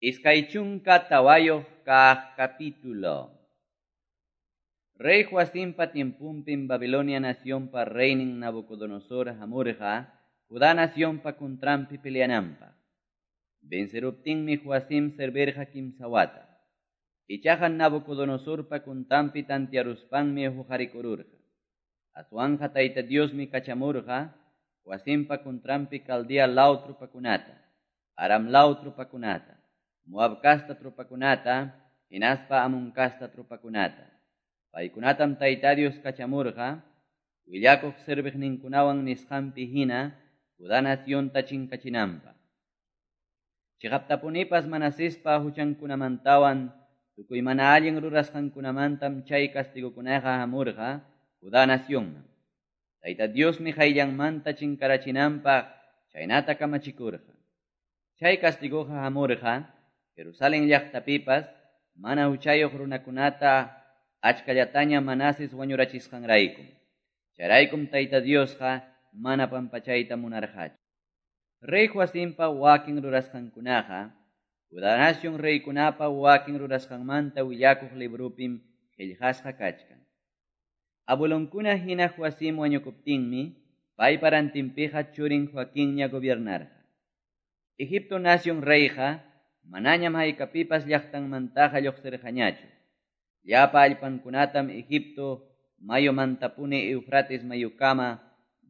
24 kaq capítulo. Rey Joacimpa tiempunpim Babilonia nacionpa reynin Nabucodonosor hamurqa Judá nacionpa contranpi peleananpaq. Venceruptinmi Joacim servirqa kimsa wata. Ichaqa Nabucodonosorpa contranpi tantiaruspanmi huqarikururqa. Aswanqa Tayta Diosmi kachamurqa Joacimpa contranpi Caldea law tropakunata, Aram law tropakunata, Moab casta tropakunata, hinaspa Amon casta tropakunata. Paykunatam Tayta Dios kachamurqa, willakuq serviqninkunawan nisqanpi hina Judá nacionta chinkachinanpaq. Chiqaptapunipas Manasespa huchankunamantawan tukuy mana allin rurasqankunamantam chay castigokunaqa hamurqa Judá nacionman. Tayta Diosmi qayllanmanta chinkarachinanpaq chaynata kamachikurqa. Chay castigoqa hamurqa Jerusalén llaqtapipas mana huchayuq runakunata achkallataña Manases wañurachisqanraykum. Chayraykum Tayta Diosqa mana pampachayta munarqachu. Rey Joacimpa wakin rurasqankunaqa Judá nación reykunapa wakin rurasqanmanta willakuq librupim qillqasqa kachkan. Abuelonkuna hina Joacim wañukuptinmi paypa rantinpiqa churin Joaquinña gobiernarqa. Egipto nación reyqa manañam haykapipas llaqtanmantaqa lluqsirqañachu. Llapa allpankunatam Egipto mayumantapuni Eufrates mayukama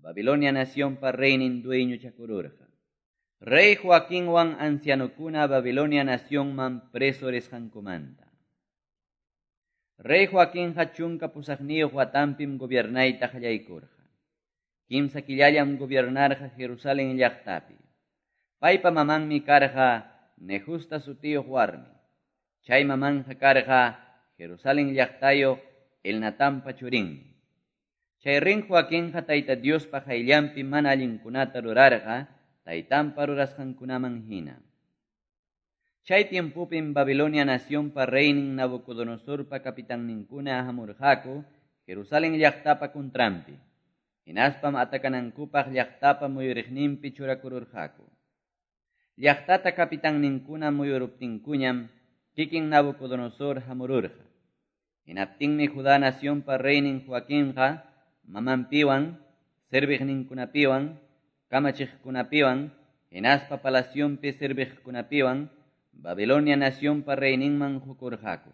Babilonia nacionpa reynin dueñochakururqa. Rey Joaquinwan ancianokuna Babilonia nacionman preso risqankumanta. Rey Joaquinqa 18 watanpim gobiernayta qallaykurqa. 3 killallam gobiernarqa Jerusalén llaqtapi. Paypa mamanmi karqa Nehusta sutiyuq warmi. Chay mamanja karqa Jerusalén llaqtayuq Elnatanpa churinmi. Chay rin Joaquinqa Tayta Diospa qayllanpi mana allinkunata rurarqa taytanpa rurasqankunaman hina. Chay tiempupim Babilonia nacionpa reynin Nabucodonosorpa capitanninkuna hamurqaku Jerusalén llaqtapa contranpi. Hinaspam atakanankupaq llaqtapa muyuriqninpi churakururqaku. Llaqtata capitanninkuna muyuruptinkuñam kikin Nabucodonosor hamururqa. Hinaptinmi Judá nacionpa reynin Joaquinqa mamanpiwan, serviqninkunapiwan, kamachiqkunapiwan, hinaspa palacionpi serviqkunapiwan Babilonia nacionpa reyninman hukurqaku.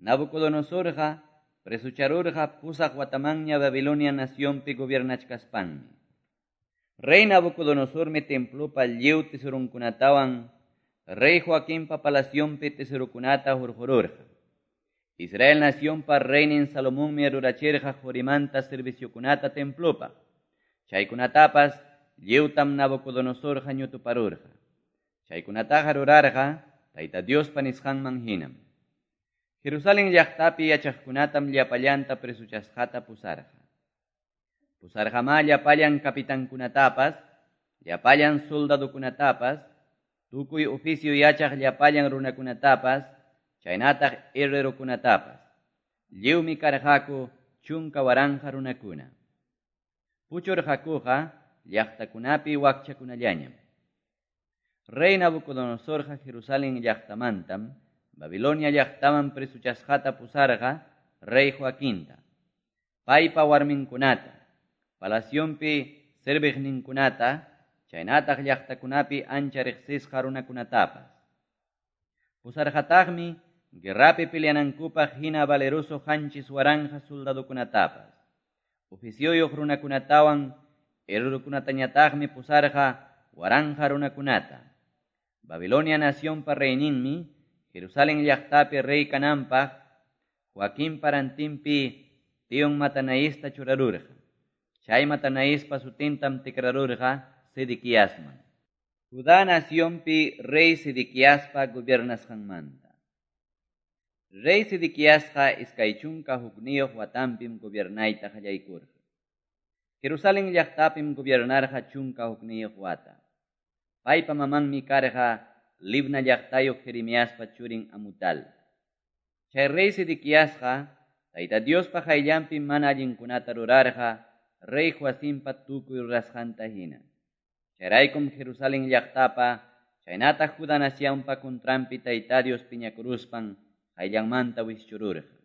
Nabucodonosorqa presucharurqa 8 watamanña Babilonia nacionpi gobiernachkaspanmi. Rey Nabucodonosormi templopa lliw tesorunkunatawan Rey Joaquinpa palacionpi tesorukunata hurqururqa. Israel nacionpa reynin Salomonmi rurachirqa qurimanta serviciokunata templopa. Chaykunatapas lliwtam Nabucodonosorqa ñutuparurqa. Chaykunataqa rurarqa Tayta Diospa nisqanman hinam. Jerusalén llaqtapi yachaqkunatam llapallanta presuchasqata pusarqa. Pusarqamá llapallan capitankunatapas, llapallan soldadokunatapas, tukuy oficio yachaq llapallan runakunatapas, chaynataq herrerokunatapas. Lliwmi karqaku 10,000 runakuna. Puchurqakuqa llaqtakunapi wakchakunallañam. Rey Nabucodonosorqa Jerusalén llaqtamantam Babilonia llaqtaman presuchasqata pusarqa Rey Joaquinta, paypa warminkunata, palacionpi serviqninkunata, chaynataq llaqtakunapi ancha riqsisqa runakunatapas. Pusarqataqmi guerrapi peleanankupaq hina valeroso 7,000 soldadokunatapas. Oficioyuq runakunatawan herrerokunatañataqmi pusarqa 1,000 runakunata. Babilonia nacionpa reyninmi Jerusalén llaqtapi rey kananpaq Joaquinpa rantinpi tion Matanaista churarurqa. Chay Matanaispa sutintam tikrarurqa Sedequiasman. Judá nacionpi rey Sedequiaspa gobiernasqanmanta. Rey Sedequiasqa 21 watanpim gobiernayta qallaykurqa. Jerusalén llaqtapim gobiernarqa 11 wata. Paypa mamanmi karqa Libna llaqtayuq Jeremiaspa churin Amutal. Chay rey Sedequiasqa Tayta Diospa qayllanpi mana allinkunata rurarqa Rey Joacimpa tukuy rurasqanta hina. Chayraykum Jerusalén llaqtapa Chaynataq Judá nacionpa contranpi Tayta Dios piñakuruspan qayllanmanta wischururqa.